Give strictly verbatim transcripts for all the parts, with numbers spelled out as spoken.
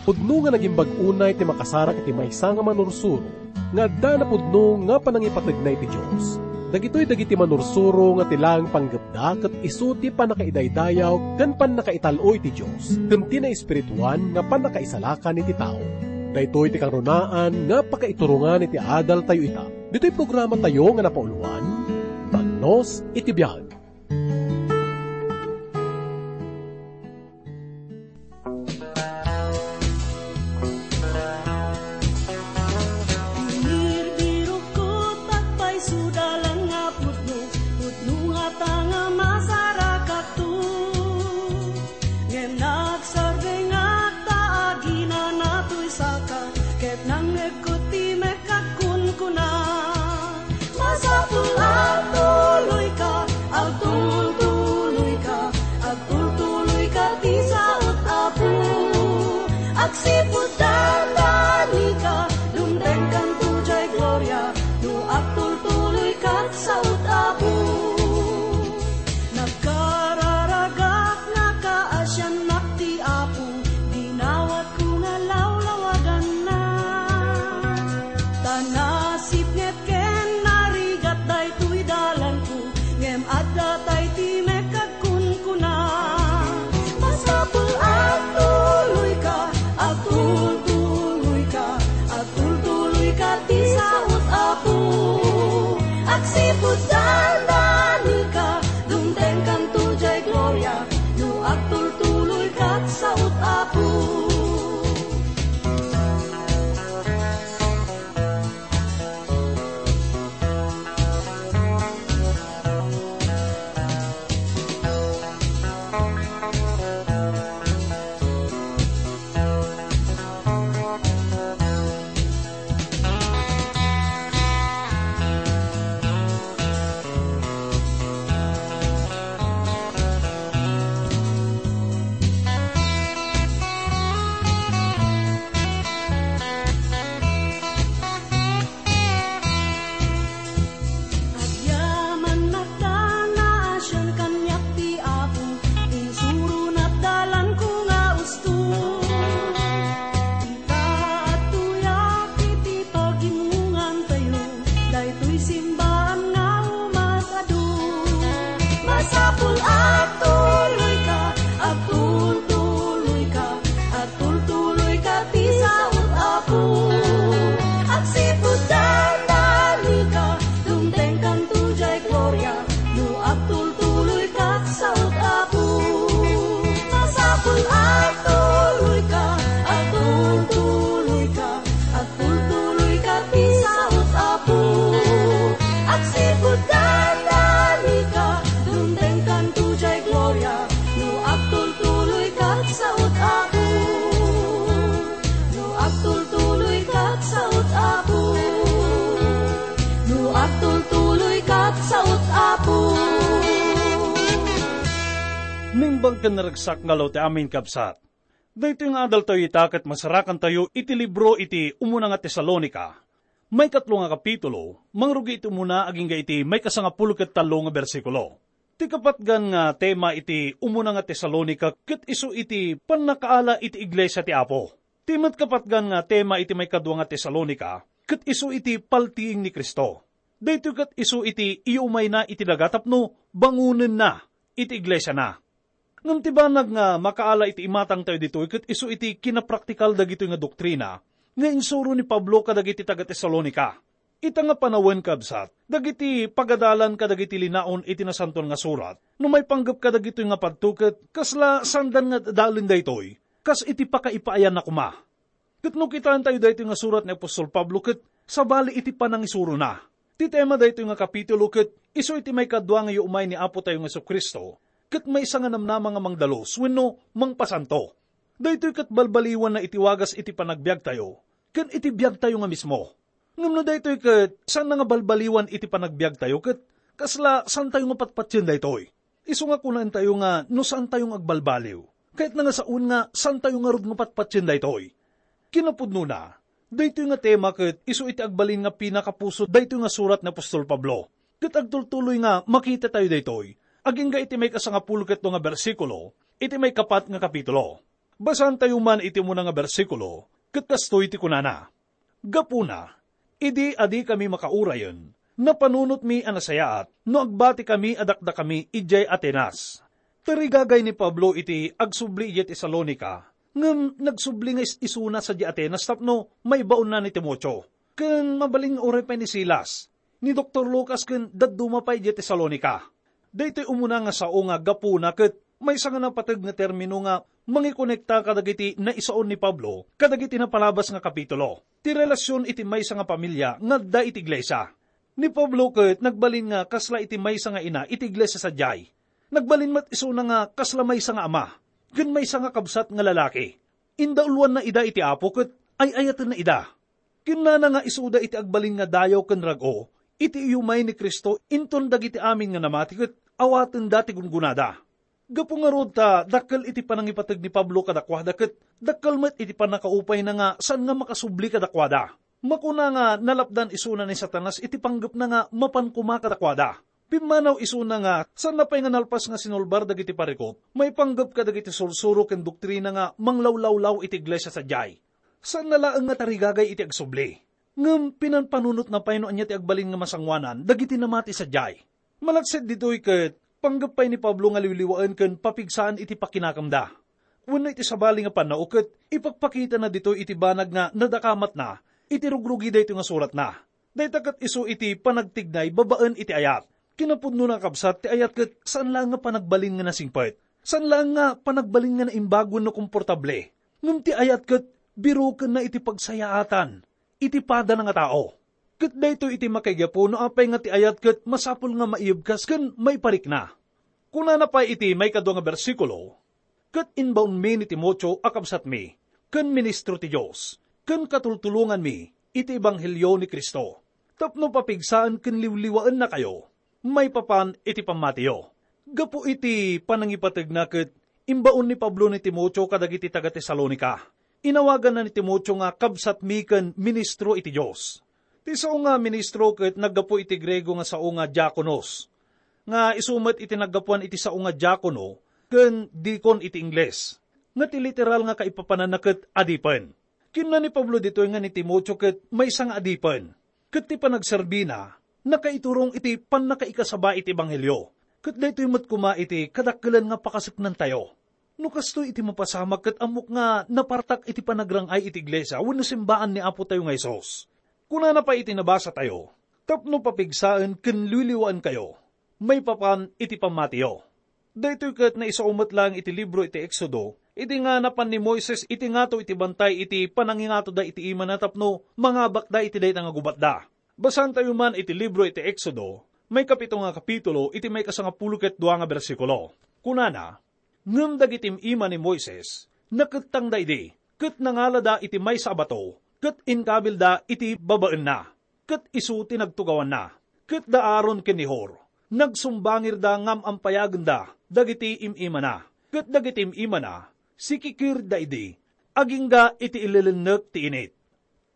Pudno nga nagimbag unay ti makasarak iti maysa nga manursuro nga adda napudno nga panangipategna iti Dios. Dagitoy dagiti manursuro nga ti laeng panggepda ket isu ti pannakaidaydayaw ken pannakaital-o iti Dios ken ti naespirituan nga pannakaisalakan iti tao. Daytoy ti kangrunaan nga pakaiturongan iti adaltayo ita. Ditoy programatayo nga napauluan, Talnos iti Biag. Binirbirok ket agpayso dalan nga pudno, pudno ngata nga masarakakto. Ngem nagsardengak ta aginana toy saka, ket nangngegko ti mekkak kunkuna. Masapul agtuloyka, agtultuloyka, agtultuloyka ti saot, Apo. Agsipud dandanika, dumtengkanto jay gloria, no agtultuloyka ti saot, Apo. Nagkararagak, nakaasiannak ti Apo, dinawatko nga lawlawaganna. Ta nasipnget ken narigat daytoy dalanko, ngem adda tay ti mekkak kunkuna. Masapul agtuloyka, agtultuloyka, agtultuloyka ti saot, Apo. Agsipud dandanika, dumtengkanto jay gloria, no agtultuloyka ti saot, Apo. Agyamannak ta naasian kaniak ti Apo, insurona ti dalanko nga usto. Ita, adtoyak iti pagimongantayo, daytoy simbaan nga umas-adu. Masapul agtuloyka, agtultuloyka, agtultuloyka ti saot, Apo. Agsipud dandanika, dumtengkanto jay gloria, no agtultuloyka ti saot, Apo. Masapul agtuloyka, agtultuloyka, agtultuloyka ti saot, Apo. Agsipud dandanika, dumtengkanto jay gloria, no agtultuloyka ti saot, Apo. No agtultuloyka ti saot, Apo. No agtultuloyka ti saot, Apo. Naimbag ken naragsak nga aldaw ti amin, kabsat. Daytoy nga adaltayo ita ket masarakantayo iti libro iti umuna nga Tesalonica, maikatlo nga kapitulo, mangrugi iti umuna agingga iti maikasangapulo ket tallo nga bersikulo. Ti kapatgan nga tema iti umuna nga Tesalonica ket isu iti pannakaala iti iglesia ti Apo. Ti met kapatgan nga tema iti maikadua nga Tesalonica ket isu iti paltiing ni Cristo. Daytoy ket isu iti iyumayna iti daga tapno bangonenna iti iglesiana. Ngem ti banag nga makaala iti imatangtayo ditoy ket isu iti kinapraktikal dagitoy nga doktrina nga insuro ni Pablo kadagiti taga-Tesalonica. Ita nga panawen, kabsat, dagiti pagadalan kadagiti linaon iti Nasantoan nga Surat, no maipanggep kadagitoy nga padto ket kasla saandan nga adalen daytoy, kas iti pakaipaayanna koma. Ket no kitaentayo daytoy nga surat ni apostol Pablo ket sabali iti panangisurona. Ti tema daytoy nga kapitulo ket isu iti maikadua nga iyumay ni Apotayo nga Jesu-Cristo ket maysa nga namnama nga mangdalus wenno mangpasanto. Daytoy ket balbaliwanna iti wagas iti panagbiagtayo ken iti biagtayo nga mismo. Ngem no daytoy ket saanna nga balbaliwan iti panagbiagtayo ket kasla saantayo nga patpatien daytoy. Isu nga kunaentayo nga no saantayo nga agbalbaliw, kayatna nga saon nga saantayo ngarud nga patpatien daytoy. Kinapudnona, daytoy nga tema ket isu iti agbalin nga pinakapuso daytoy nga surat ni apostol Pablo. Ket agtultuloy nga makitatayo daytoy agingga iti maikasangapulo ket dua nga bersikulo iti maikapat nga kapitulo. Basaantayo man iti umuna nga bersikulo, ket kastoy ti kunana, "Gapuna, idi a dikami makaurayen, napanunotmi a nasayaat no agbatikami a dakdakami idiay Atenas." Tarigagay ni Pablo iti agsubli idiay Tesalonica, ngem nagsubli nga is-isuna sadiay Atenas tapno maibaonna ni Timoteo, ken mabalin nga uray pay ni Silas, ni Doktor Lucas ken dadduma pay idiay Tesalonica. Daytoy umuna nga sao nga gapuna ket maysa nga napateg nga termino nga mangikonekta kadagiti naisaon ni Pablo kadagiti napalabas nga kapitulo, ti relasion iti maysa nga pamilia nga adda iti iglesia. Ni Pablo ket nagbalin nga kasla iti maysa nga ina iti iglesia sadiay. Nagbalin met isuna nga kasla maysa nga ama ken maysa nga kabsat nga lalaki. Indauluanna ida iti Apo ket ay-ayatenna ida. Kinnana nga isuda iti agbalin nga dayaw ken rag-o iti iyumay ni Cristo inton dagiti amin nga namati ket awatenda ti gunggonada. Gapu ngarud ta dakkel iti panangipateg ni Pablo kadakuada ket dakkel met iti pannakaupayna nga saan nga makasubli kadakuada. Makuna nga nalapdan isuna ni Satanas iti panggepna nga mapan koma kadakuada. Pimmanaw isuna nga saanna pay nga nalpas nga sinulbar dagiti parikut maipanggep kadagiti sursuro ken doktrina nga manglawlawlaw iti iglesia sadiay. Saanna laeng nga tarigagay iti agsubli, ngem pinanpanunotna pay no ania ti agbalin nga masangoanan dagiti namati sadiay. Malaksid ditoy ket panggep pay ni Pablo nga liwliwaen ken papigsaan iti pakinakemda. Wenno iti sabali nga pannao ket ipakpakitana ditoy iti banag nga nadakamatna iti rugrugi daytoy nga suratna. Dayta ket isu iti panagtignay babaen iti ayat. Kinapudnona, kabsat, ti ayat ket saan laeng nga panagbalin nga nasingpet. Saan laeng nga panagbalin nga naimbag wenno komportable. Ngem ti ayat ket birokenna iti pagsayaatan iti padana nga tao. Ket daytoy iti makaigapu no apay nga ti ayat ket masapul nga maiyebkas ken maiparikna. Kunana pay iti maikadua nga bersikulo, "Ket imbaonmi ni Timoteo a kabsatmi, ken ministro ti Dios, ken katultulonganmi iti ebanghelio ni Cristo, tapno papigsaen ken liwliwaennakayo maipapan iti pammatiyo." Gapu iti panangipategna ket imbaon ni Pablo ni Timoteo kadagiti taga-Tesalonica. Inawaganna ni Timoteo nga kabsatmi ken ministro iti Dios. Ti sao nga ministro ket naggapu iti Griego nga sao nga diakonos, nga isu met iti naggapuan iti sao nga diakono ken dikon iti Ingles, nga ti literal nga kaipapananna ket adipen. Kinuna ni Pablo ditoy nga ni Timoteo ket maysa nga adipen, ket ti panagserbina nakaiturong iti pannakaikasaba iti ebanghelio, ket daytoy met koma iti kadakkelan nga pakasuknantayo. No kastoy iti mapasamak ket ammok nga napartak iti panagrang-ay iti iglesia wenno simbaan ni Apotayo nga Jesus. Kunana pay iti nabasatayo, "Tapno papigsaen ken liwliwaenkayo maipapan iti pammatiyo." Daytoy ket naisao met laeng iti libro iti Exodo, idi nga napan ni Moises iti ngato iti bantay iti panangingatoda iti imana tapno mangabakda iti dayta nga gubatda. Basaantayo man iti libro iti Exodo, maikapito nga kapitulo, iti maikasangapulo ket dua nga bersikulo. Kunana, "Ngem dagiti im-ima ni Moises, nakettangda idi, ket nangalada iti maysa a bato, ket inkabilda iti babaenna, ket isu ti nagtugawanna. Ket da Aaron ken ni Hur, nagsumbangirda nga am-ampayagenda dagiti im-imana, ket dagiti im-imana, sikikirda idi, agingga iti ilelennek ti init."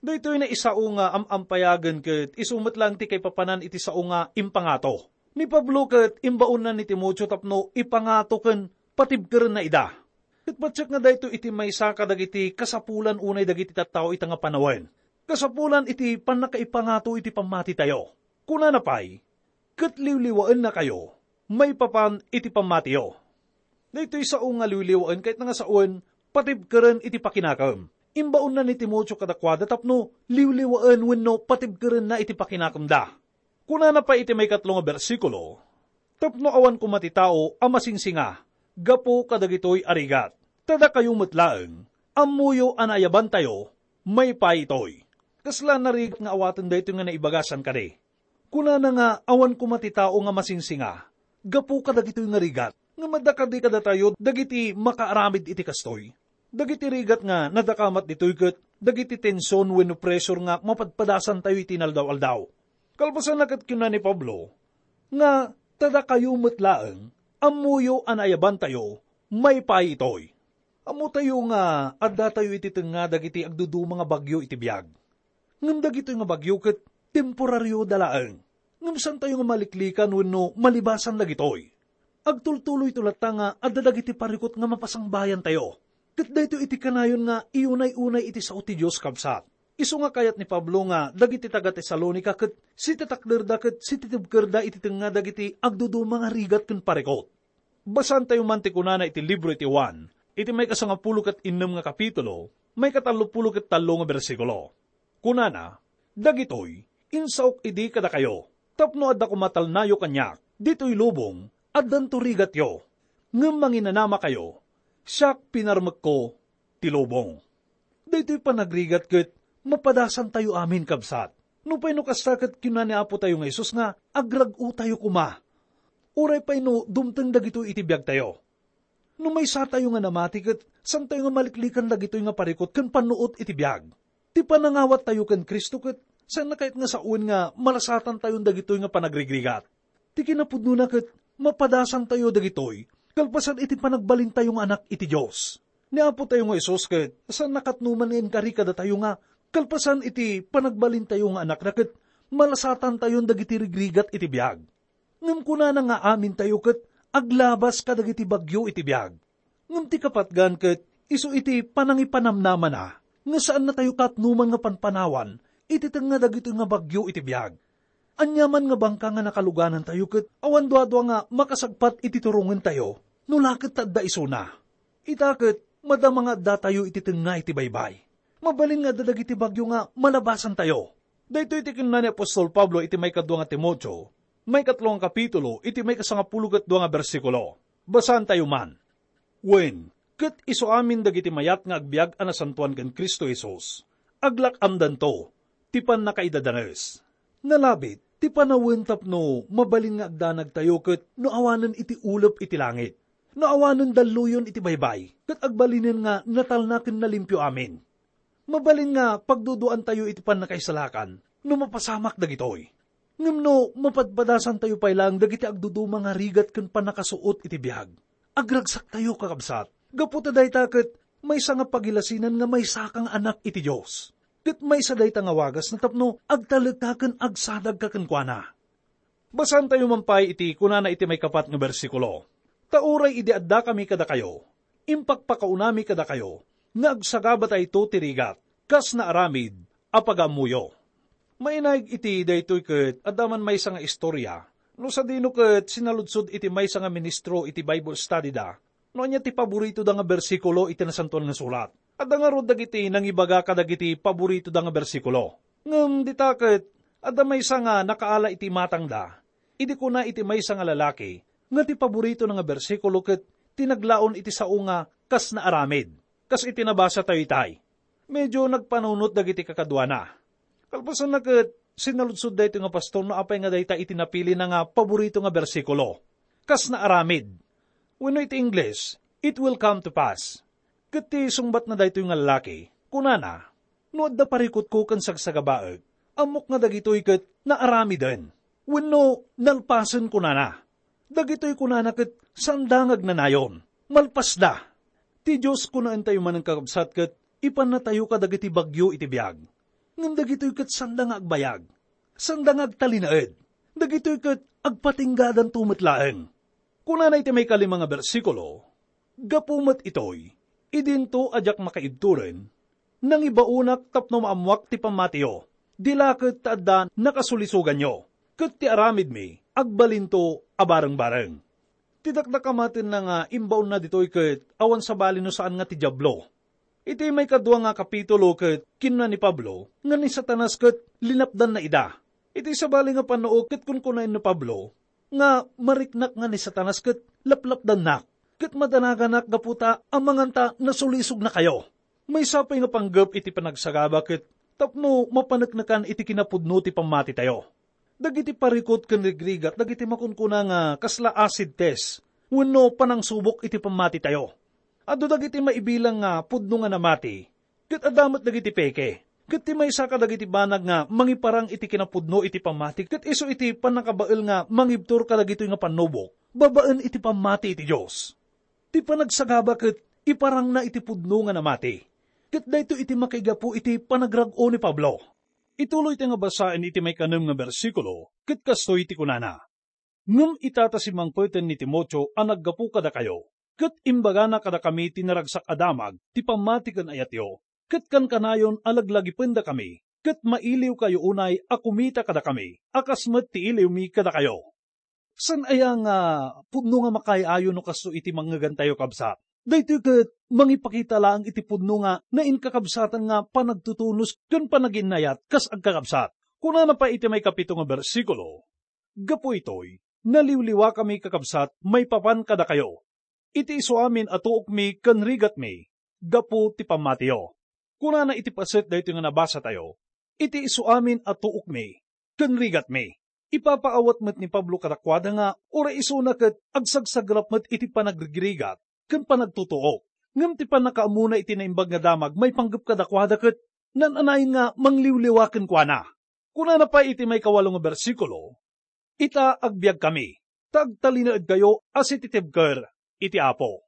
Daytoy naisao nga am-ampayagen ket isu met laeng ti kaipapanan iti sao nga impangato. Ni Pablo ket imbaonna ni Timoteo tapno ipangato ken patibkerenna ida. Ket patiek nga daytoy iti maysa kadagiti kasapulan unay dagiti tattao ita nga panawen. Kasapulan iti pannakaipangato iti pammatitayo. Kunana pay, "Ket liwliwaennakayo maipapan iti pammatiyo." Daytoy sao nga liwliwaen ket nga sawen, patibkeren iti pakinakem. Imbaonna ni Timoteo kadakuada tapno liwliwaen wenno patibkerenna iti pakinakemda. Kunana pay iti maikatlo nga bersikulo, "Tapno awan koma ti tao a masingsinga gapu kadagitoy a rigat. Ta dakayo met laeng, ammoyo a naayabantayo maipaay itoy." Kasla narigat nga awaten daytoy nga naibagasan kadi. Kunana nga awan koma ti tao nga masingsinga gapu kadagitoy nga rigat. Ngem adda kadi kadatayo dagiti makaaramid iti kastoy? Dagiti rigat nga nadakamat ditoy ket dagiti tension wenno pressure nga mapadpadasantayo iti inaldaw-aldaw. Kalpasanna ket kinuna ni Pablo nga, "Ta dakayo met laeng, ammoyo a naayabantayo maipaay itoy." Ammotayo nga addatayo iti tengnga dagiti agduduma nga bagyo iti biag. Ngem dagitoy nga bagyo ket temporarioda laeng. Ngem saantayo nga maliklikan wenno malibasan dagitoy. Agtultuloyto latta nga adda dagiti parikut nga mapasangbayantayo. Ket daytoy iti kanayon nga iunay-unay iti sao ti Dios, kabsat. Isu nga kayat ni Pablo nga dagiti taga-Tesalonica ket sitatakderda ket sititibkerda iti tengnga dagiti agduduma nga rigat ken parikut. Basaantayo man ti kunana iti libro iti Juan, iti maikasangapulo ket innem nga kapitulo, maikatallopulo ket tallo nga bersikulo. Kunana, "Dagitoy, insaok idi kadakayo, tapno adda koma talnayo kaniak, ditoy lubong, addanto rigatyo. Ngem manginanamakayo, siak pinarmekko ti lubong." Daytoy panagrigat ket mapadasantayo amin, kabsat. Nupay no kasta ket kinuna ni Apo tayo nga Jesus nga agrag-otayo koma. Uray pay no dumteng dagitoy iti biagtayo. No maysatayo nga namati ket saantayo nga maliklikan dagitoy nga parikut ken pannuot iti biag. Ti panangawattayo ken Cristo ket saanna kayat nga sawen nga malasatantayon dagitoy nga panagrigrigat. Ti kinapudnona ket mapadasantayo dagitoy kalpasan iti panagbalintayo nga anak iti Dios. Ni Apo tayo nga Jesus ket saanna katnoman nga inkari kadatayo nga kalpasan iti panagbalintayo nga anakna ket malasatantayon dagiti rigrigat iti biag. Ngem kunana nga amintayo ket aglabas kadagiti bagyo iti biag. Ngem ti kapatgan ket isu iti panangipanamnamana nga saannatayo katnoman nga panpanawan iti tengnga dagitoy nga bagyo iti biag. Aniaman nga bangka nga nakaluganantayo ket awan duadua nga makasagpat iti turongentayo no la ket ta adda isuna. Ita ket madama nga addatayo iti tengnga iti baybay. Mabalin nga adda dagiti bagyo nga malabasantayo. Daytoy ti kinuna ni apostol Pablo iti maikadua nga Timoteo, maikatlo nga kapitulo, iti maikasangapulo ket dua nga bersikulo. Basaantayo man. Wen, ket isu amin dagiti mayat nga agbiag a nasantoan ken Cristo Jesus, aglak-amdanto ti pannakaidadanes. Nalabit ti panawen tapno mabalin nga agdanagtayo ket no awanen iti ulep iti langit, no awanen dalluyon iti baybay, ket agbalinen nga natalna ken nalimpio amin. Mabalin nga pagduduantayo iti pannakaisalakan no mapasamak dagitoy. Ngem no mapadpadasantayo pay laeng dagiti agduduma nga rigat ken pannakasuot iti biag, agragsaktayo, kakabsat, gapu ta dayta ket maysa nga pagilasinan nga maysa ka nga anak iti Dios. Ket maysa dayta nga wagasna tapno agtalekka ken agsadagka kenkuana. Basaantayo man pay iti kunana iti maikapat nga bersikulo, "Ta uray idi addakami kadakayo, impakpakaunami kadakayo nga agsagabatayto ti rigat kas naaramid a pagaammoyo." Mainaig iti daytoy ket adda man maysa nga istorya no sadino ket sinaludsod iti maysa nga ministro iti Bible study da no ania ti paboritoda nga bersikulo iti Nasantoan nga Surat. Adda ngarud dagiti nangibaga kadagiti paboritoda nga bersikulo. Ngem dita ket adda maysa nga nakaala iti imatangda idi kuna iti maysa nga lalaki nga ti paboritona nga bersikulo ket ti naglaon iti sao nga kas naaramid, kas iti nabasatayo itay. Medio nagpanunot dagiti kakaduana. Kalpasanna ket sinaludsod daytoy nga pastor no apay nga dayta iti napilina nga paborito nga bersikulo. Kas naaramid. Wenno iti Ingles, "It will come to pass." Ket ti sungbatna daytoy nga lalaki, kunana, "No adda parikutko ken sagsagabaek, ammok nga dagitoy ket naaramiden, wenno nalpasen," kunana. Dagitoy kunana ket saanda nga agnanayon. Malpasda. Ti Dios, kunaentayo manen, kakabsat, ket ipannatayo kadagiti bagyo iti biag. Ngem dagitoy ket saanda nga agbayag. Saanda nga agtalinaed. Dagitoy ket agpatinggadanto met laeng. Kunana iti maikalima nga bersikulo, "Gapu met itoy, idinto a diak makaibturen, nangibaonak tapno maammoak ti pammatiyo. Di la ket ta adda nakasulisoganyo, ket ti aramidmi agbalinto a barengbareng." Ti dakdakamatenna nga imbaonna ditoy ket awan sabali no saan nga ti Diablo. Iti maikadua nga kapitulo ket kinuna ni Pablo nga ni Satanas ket linapdanna ida. Iti sabali nga pannuot ket kunkunaen ni Pablo nga mariknak nga ni Satanas ket laplapdannak, ket madanaganak gapu ta amangan ta nasulisognakayo. Maysa pay nga panggep iti panagsagaba ket tapno mapaneknekan iti kinapudno ti pammatitayo. Dagiti parikut ken rigrigat dagiti makunkuna nga kasla acid test wenno panangsubok iti pammatitayo. Adu dagiti maibilang nga pudno nga namati, ket adda met dagiti peke. Ket ti maysa kadagiti banag nga mangiparang iti kinapudno iti pammati ket isu iti pannakabael nga mangibtur kadagitoy nga pannubok babaen iti pammati iti Dios. Ti panagsagaba ket iparangna iti pudno nga namati. Ket daytoy iti makaigapu iti panagrag-o ni Pablo. Ituloy ti nga basaen iti maikanem nga bersikulo, ket kastoy ti kunana, "Ngem ita ta simmangpeten ni Timoteo a naggapu kadakayo, ket imbagana kadakami ti naragsak a damag ti pammati ken ayatyo, ket kankanayon a laglagipendakami, ket mailiwkayo unay a kumita kadakami, a kas met ti iliwmi kadakayo. Saan aya nga pudno nga makaay-ayo no kasto iti mangngegantayo, kabsat? Daytoy ket mangipakita laeng iti pudno nga nainkakabsatan nga panagtutunos ken panaginnayat kas agkakabsat. Kunana pay iti maikapito nga bersikulo, "Gapu itoy, naliwliwakami, kakabsat, maipapan kadakayo. Iti isuamin a tuokmi ken rigatmi gapu ti pammatiyo." Kunana iti paset daytoy nga nabasatayo, "Iti isuamin a tuokmi ken rigatmi." Ipapaawat met ni Pablo kadakuada nga uray isuna ket agsagsagrap met iti panagrigrigat ken panagtutuok. Ngem ti pannakaammona iti naimbag nga damag maipanggep kadakuada ket naan-anayon nga mangliwliwa kenkuana. Kunana pay iti maikawalo nga bersikulo, "Ita, agbiagkami, ta agtalinaedkayo a sititibker iti Apo."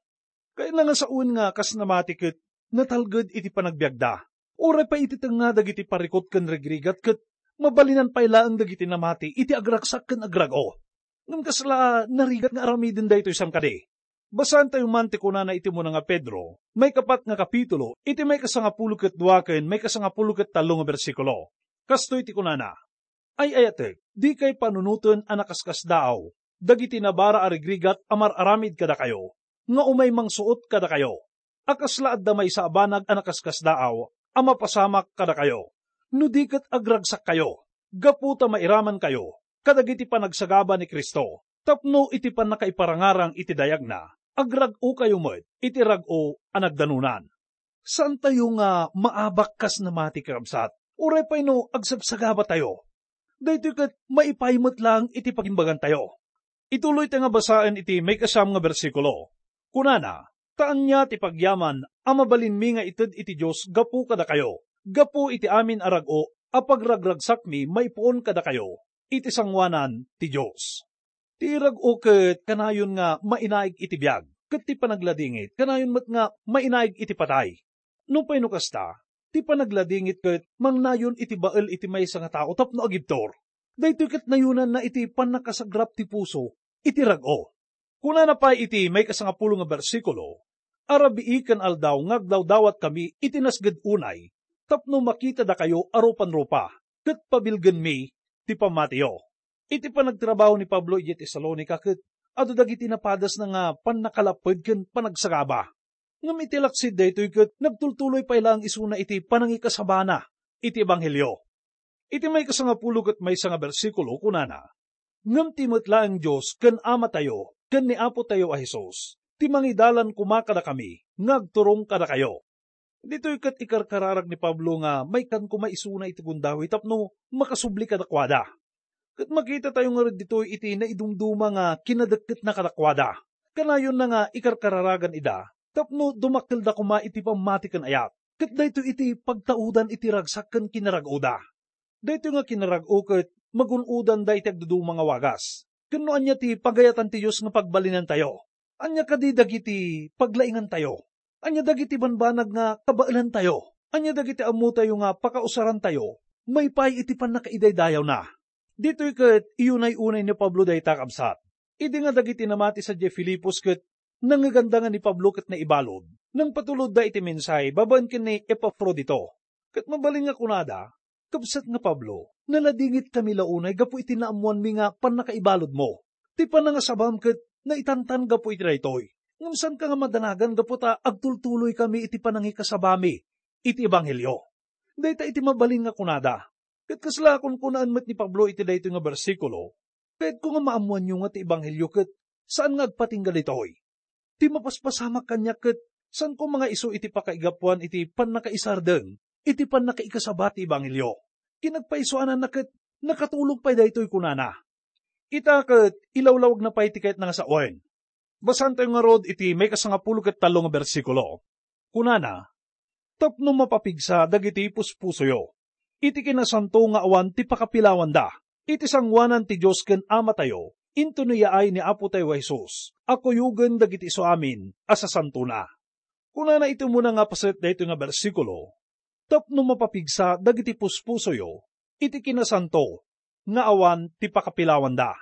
Kayatna nga sawen nga kas namati ket natalged iti panagbiagda. Uray pay iti tengnga dagiti parikut ken rigrigat ket mabalinan pay laeng dagiti namati iti agragsak ken agrag-o. Ngem kasla narigat nga aramiden daytoy saan kadi? Basaentayo man ti kunana iti umuna nga Pedro, maikapat nga kapitulo, iti maikasangapulo ket dua ken maikasangapulo ket tallo nga bersikulo. Kastoy ti kunana, "Ay-ayatek, dikay panunoten a nakaskasdaaw dagiti nabara a rigrigat a mar-aramid kadakayo, nga umay mangsuot kadakayo, a kasla adda maysa a banag a nakaskasdaaw a mapasamak kadakayo, no di ket agragsakkayo, gapu ta mairamankayo kadagiti panagsagaba ni Cristo, tapno iti pannakaiparangarang iti dayagna, agrag-okayo met iti rag-o a nagdanunan." Saantayo nga maabak kas namati, kakabsat, uray pay no agsagsagabatayo. Daytoy ket maipaay met laeng iti pagimbagantayo. Ituloy ta nga basaen iti maikasiam nga bersikulo. Kunana, "Ta ania ti pagyaman a mabalinmi nga ited iti Dios gapu kadakayo, gapu iti amin a rag-o a pagragragsakmi maipuon kadakayo iti sangoanan ti Dios?" Ti rag-o ket kanayon nga mainaig iti biag, ket ti panagladingit kanayon met nga mainaig iti patay. Nupay no kasta, ti panagladingit ket mangnayon iti bael iti maysa nga tao tapno agibtur. Daytoy ket nayonanna iti pannakasagrap ti puso iti rag-o. Kunana pay iti maikasangapulo nga bersikulo, "Arabii ken aldaw nga agdawdawatkami iti nasged unay, tapno makitadakayo a rupan-rupa, ket pabilgenmi ti pammatiyo." Iti panagtrabaho ni Pablo idiay Tesalonica ket adu dagiti napadasna nga pannakalapped ken panagsagaba. Ngem iti laksid daytoy ket nagtultuloy pay laeng isuna iti panangikasabana iti ebanghelio. Iti maikasangapulo ket maysa nga bersikulo, kunana, "Ngem ti met laeng Dios ken Amatayo ken ni Apotayo a Jesus ti mangidalan koma kadakami nga agturong kadakayo." Ditoy ket ikarkararag ni Pablo nga maikkan koma isuna iti gundaway tapno makasubli kadakuada. Ket makitatayo ngarud ditoy iti naidumduma nga kinadekketna kadakuada. Kanayonna nga ikarkararagan ida tapno dumakkelda koma iti pammati ken ayat. Ket daytoy iti pagtaudan iti ragsak ken kinarag-oda. Daytoy nga kinarag-o ket magun-odanda iti agduduma nga wagas. Ken no ania ti pagayatan ti Dios nga pagbalinantayo? Ania kadi dagiti paglaingantayo? Ania dagiti banbanag nga kabaelantayo? Ania dagiti ammotayo nga pakausarantayo maipaay iti pannakaidaydayawna? Ditoy ket iyunay-unay ni Pablo dayta, kabsat. Idi nga dagiti namati sadiay Filipos ket nangngeganda nga ni Pablo ket naibalud, nangpatulodda iti mensahe babaen ken ni Epafrodito. Ket mabalin nga kunada, "Kabsat nga Pablo, naladingitkami la unay gapu iti naammoanmi nga pannakaibaludmo. Ti panangasabam ket naitantan gapu iti daytoy. Ngem saanka nga madanagan gapu ta agtultuloykami iti panangikasabami iti ebanghelio." Dayta iti mabalin nga kunada. Ket kasla kunkunaan met ni Pablo iti daytoy nga bersikulo, "Kayatko nga maammoanyo nga ti ebanghelio ket saan nga agpatingga ditoy. Ti mapaspasamak kaniak ket saanko mangaiso iti pakaigapuan iti pannakaisardeng iti pannakaikasaba ti ebanghelio. Ken nagpaisuananna ket nakatulog pay daytoy," kunana. Ita ket ilawlawagna pay ti kayatna nga sawen. Basaentayo ngarud iti maikasangapulo ket tallo nga bersikulo. Kunana, "Tapno mapapigsa dagiti puspusoyo iti kinasanto nga awan ti pakapilawanda, iti sangoanan ti Dios ken Amatayo, intono yaay ni Apotayo a Jesus a kuyogen dagiti isuamin a sasantona." Kunana iti umuna nga paset daytoy nga bersikulo, "Tapno mapapigsa dagiti puspusoyo iti kinasanto nga awan ti pakapilawanda."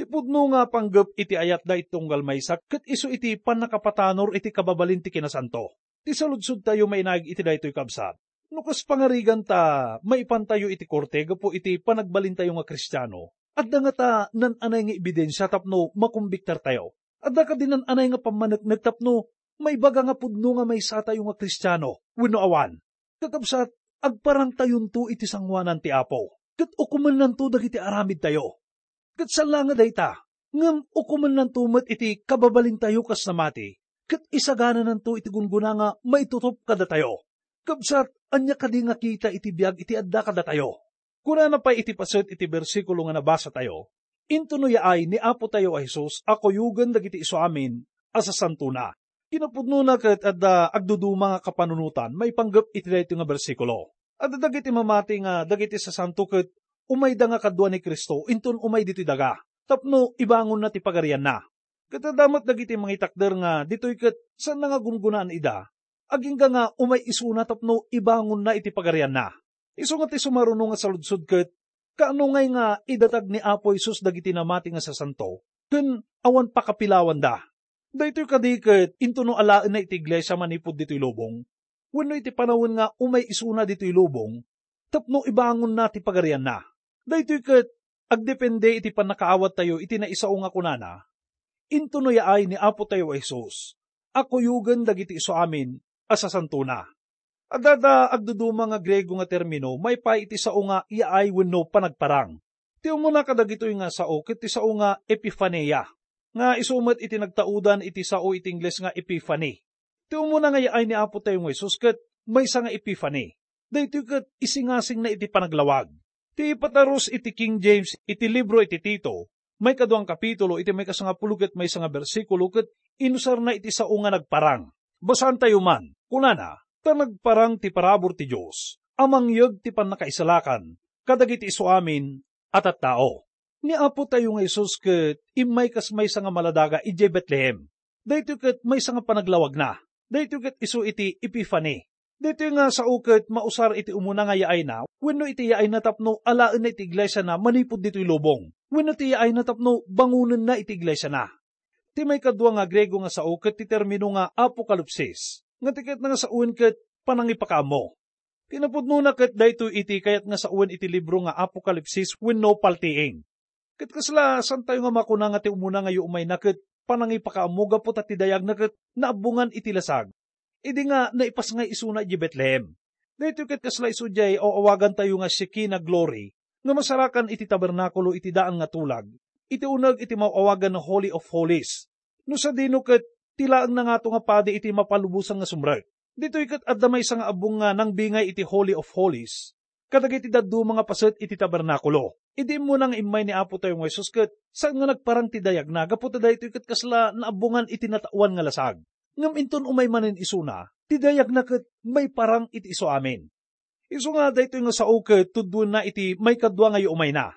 Ti pudno nga panggep iti ayatda iti tunggal maysa ket isu iti pannakapatanor iti kababalin ti kinasanto. Ti saludsodtayo mainaig iti daytoy, kabsat, no kas pangarigan ta maipantayo iti korte gapu iti panagbalintayo nga Kristiano, adda ngata nan-anay nga ebidensia tapno makumbiktartayo? Adda kadi nan-anay nga pammaneknek tapno maibaga nga pudno nga maysatayo nga Kristiano wenno awan? Kakabsat, agparangtayonto iti sangoanan ti Apo, ket ukomennanto dagiti aramidtayo. Ket saan la nga dayta, ngem ukomennanto met iti kababalintayo kas namati, ket isaganananto iti gunggona nga maitutop kadatayo. Kabsat, ania kadi nga kita iti biag iti adda kadatayo? Kunana pay iti paset iti bersikulo nga nabasatayo, "Intono yaay ni Apotayo a Jesus a kuyogen dagiti isuamin a sasantona." Kinapudnona ket adda agduduma nga kapanunotan maipanggep iti daytoy nga bersikulo. Adda dagiti mamati nga dagiti sasanto ket umayda nga kadua ni Cristo inton umay ditoy daga tapno ibangonna ti pagarianna. Ket adda met dagiti mangitakder nga ditoy ket saanna nga gunggonaan ida, agingga nga umay isuna tapno ibangonna iti pagarianna. Isu nga ti sumaruno nga saludsod ket, kaano ngay nga idatag ni Apo Jesus dagiti namati nga sasanto ken awan pakapilawanda? Daytoy kadi ket intono alaenna iti iglesia manipud ditoy lubong wenno iti panawen nga umay isuna ditoy lubong tapno ibangonna ti pagarianna? Daytoy ket agdepende iti pannakaawattayo iti naisao nga kunana, "Intono yaay ni Apotayo a Jesus a kuyogen dagiti isuamin a sasantona." Adda da agduduma nga Griego nga termino maipaay iti sao nga yaay wenno panagparang. Ti umuna kadagitoy nga sao ket ti sao nga epifania, nga isu met iti nagtaudan iti sao iti Ingles nga epiphany. Ti umuna nga yaay ni Apotayo nga Jesus ket maysa nga epiphany. Daytoy ket isingasingna iti panaglawag. Ti ipatarus iti King James iti libro iti Tito, maikadua nga kapitulo, iti maikasangapulo ket maysa nga bersikulo, ket inusarna iti sao nga nagparang. Basaantayo man. Kunana, "Ta nagparang ti parabur ti Dios a mangyeg ti pannakaisalakan kadagiti isuamin a tattao." Ni Apotayo nga Jesus ket immay kas maysa nga maladaga idiay Betlehem. Daytoy ket maysa nga panaglawagna. Daytoy ket isu iti Epiphany. Daytoy nga sao ket mausar iti umuna nga yaayna wenno iti yaayna tapno alaenna iti iglesiana manipud ditoy lubong wenno ti yaayna tapno bangonenna iti iglesiana. Ti maikadua nga Griego nga sao ket ti termino nga apokalipsis, nga ti kayatna nga saoen ket panangipakaammo. Kinapudnona ket daytoy iti kayat nga saoen iti libro nga Apokalipsis wenno paltiing. Ket kasla, saantayo nga makuna nga ti umuna nga yuumayna ket panangipakaammo gapu ta ti dayagna ket naabbongan iti lasag, idi nga naipasngay isuna idiay Betlehem. Daytoy ket kasla isu diay aw-awagantayo nga Shekinah glory nga masarakan iti tabernakulo iti daan nga tulag, iti uneg iti maaw-awagan nga Holy of Holies. No sadino ket, ti laeng nangato nga padi iti mapalubosan nga sumrek. Ditoy ket adda maysa nga abbong nga nangbingay iti Holy of Holies kadagiti dadduma nga paset iti tabernakulo. Idi immuna nga immay ni Apotayo nga Jesus ket saan nga nagparang ti dayagna gapu ta daytoy ket kasla naabbongan iti nataoan nga lasag. Ngem inton umay manen isuna, ti dayagna ket maiparang iti isuamin. Isu nga daytoy nga sao ket tuddoenna iti maikadua nga yuumayna.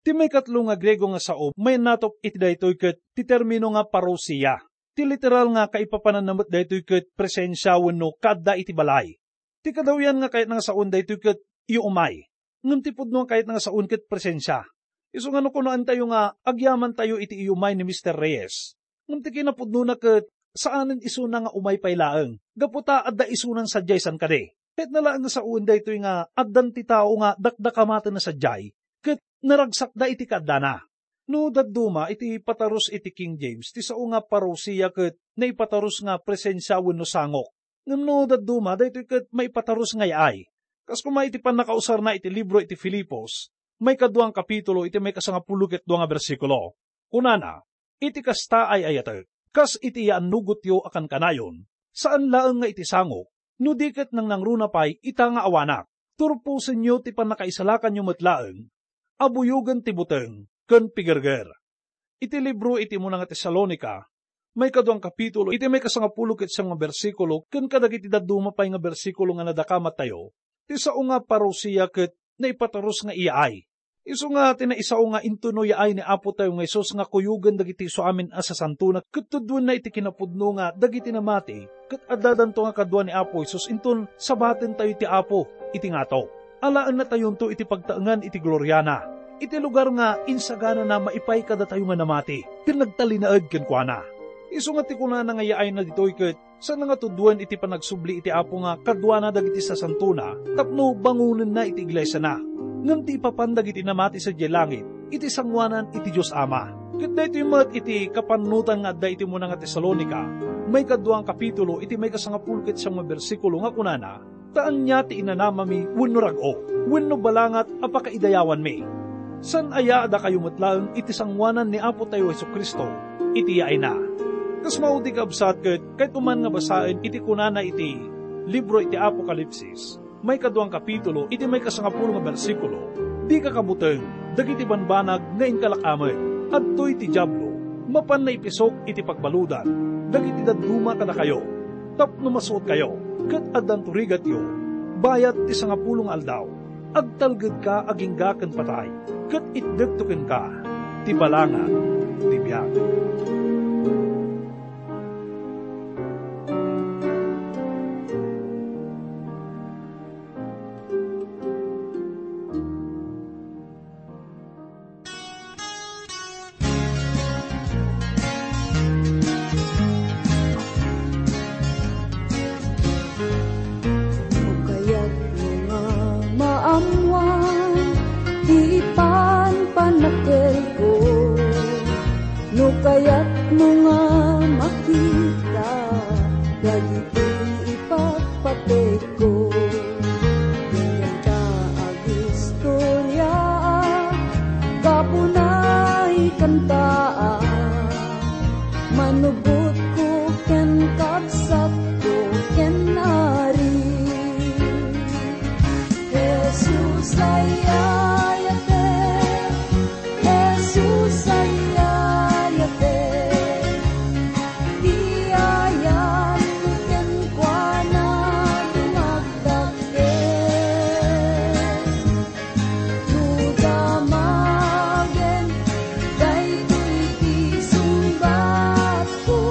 Ti maikatlo nga Griego nga sao, mayannatok iti daytoy ket ti termino nga parousia. Ti literal nga kaipapananna met daytoy ket presensia wenno kaadda iti balay. Ti kadawian nga kayatna nga saoen daytoy ket iyuumay. Ngem ti pudno nga kayatna nga saoen ket presensia. Isu nga no kunaentayo nga agyamantayo iti iyumay ni Mister Reyes, ngem ti kinapudnona ket saanen isuna nga umay pay laeng, gapu ta adda isunan sadiay san kadi. Kayatna laeng nga saoen daytoy nga addan ti tao nga dakdakamatenna sadiay ket naragsakda iti kaaddana. No dadduma, iti patarus iti King James, ti sao nga parousia ket naipatarus nga presensia wenno sangok. Ngem no dadduma, daytoy ket maipatarus nga yaay. Kas koma iti pannakausarna iti libro iti Filipos, maikadua nga kapitulo, iti maikasangapulo ket dua nga bersikulo. Kunana, "Iti kasta, ay-ayatek, kas iti yaannugotyo a kankanayon, saan laeng nga iti sangok, no di ket nangnangruna pay ita nga awanak. Turposenyo ti pannakaisalakanyo met laeng a buyogen ti buteng ken pigerger." Iti libro iti umuna nga Tesalonica, maikadua nga kapitulo, iti maikasangapulo ket siam nga bersikulo, ken kadagiti dadduma pay nga bersikulo nga nadakamattayo, ti sao nga parousia ket naipatarus nga iyaay. Isu nga ti naisao nga intono yaay ni Apotayo nga Jesus nga kuyogen dagiti isuamin a sasantona ket tuddoenna iti kinapudno nga dagiti namati ket addadanto nga kadua ni Apo Jesus inton sabatentayo ti Apo iti ngato. Alaennatayonto iti pagtaengan iti gloriana, iti lugar nga insaganana maipay kadatayo nga namati ken nagtalinaed kenkuana. Isu nga ti kunana nga yaayna ditoy ket saan nga tuduen iti panagsubli iti Apo nga kaduana dagiti sasantona tapno bangonenna iti iglesiana, ngem ti ipapan dagiti namati sadiay langit iti sangoanan iti Dios Ama. Ket daytoy met iti kapannutan nga adda iti umuna nga Tesalonica, maikadua nga kapitulo, iti maikasangapulo ket siam nga bersikulo nga kunana, "Ta ania ti inanamami wenno rag-o, wenno balangat a pakaidayawanmi? Saan aya a dakayo met laeng iti sangoanan ni Apotayo Jesu-Cristo iti yaayna?" Kas maudi, kabsat, ket kayatko man nga basaen iti kunana iti libro iti Apokalipsis, maikadua nga kapitulo, iti maikasangapulo nga bersikulo, "Dika kabuteng dagiti banbanag nga inkalak-amek. Adtoy ti Diablo, mapanna ipisok iti pagbaludan dagiti dadduma kadakayo, tapno masuotkayo, ket addanto rigatyo. Bayat ti sangapulo nga aldaw, agtalgedka agingga ken patay, ket itdekto kenka ti balangat ti biag." No kayatmo nga maammuan ti panpanakelko, no kayatmo nga makita dagiti ipatpatekko, dinyanta agistorya, gapu na ikantaak, manubotko ken kabsatko ken Ari. Jesus ay ayatek, Jesus ay ayatek, ti ayat kenkuana dumagdakkel. No damagen daytoy ti sungbatko,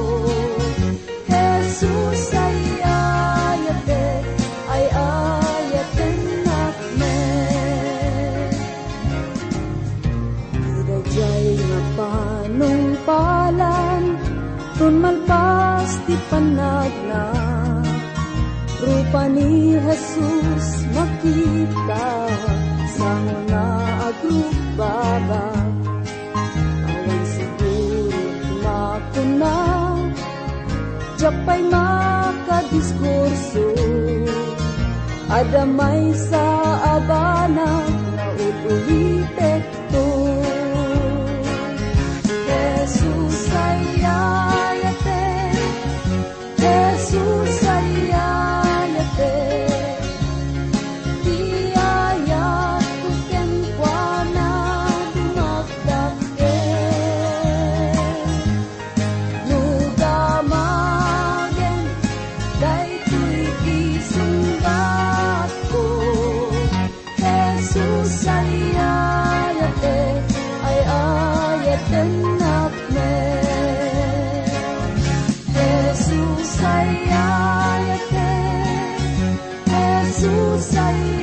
Jesus ay ayatek, ay ayatennak met. Ti daydiay nga panungpalan, ton malpas ti pannagna, rupa ni Jesus makita, sango nga agrugbaba. Awan siguro makuna, diak pay makadiskurso. Adda maysa a banag nga ul-ulitekto. Jesus ay ayatek, Jesus ay ayatek, ti ayatko kenkuana dumagdakkel. No damagen daytoy ti sungbatko, Jesus ay ayatek, ay ayatennak met. Jesus ay ayatek, Jesus ay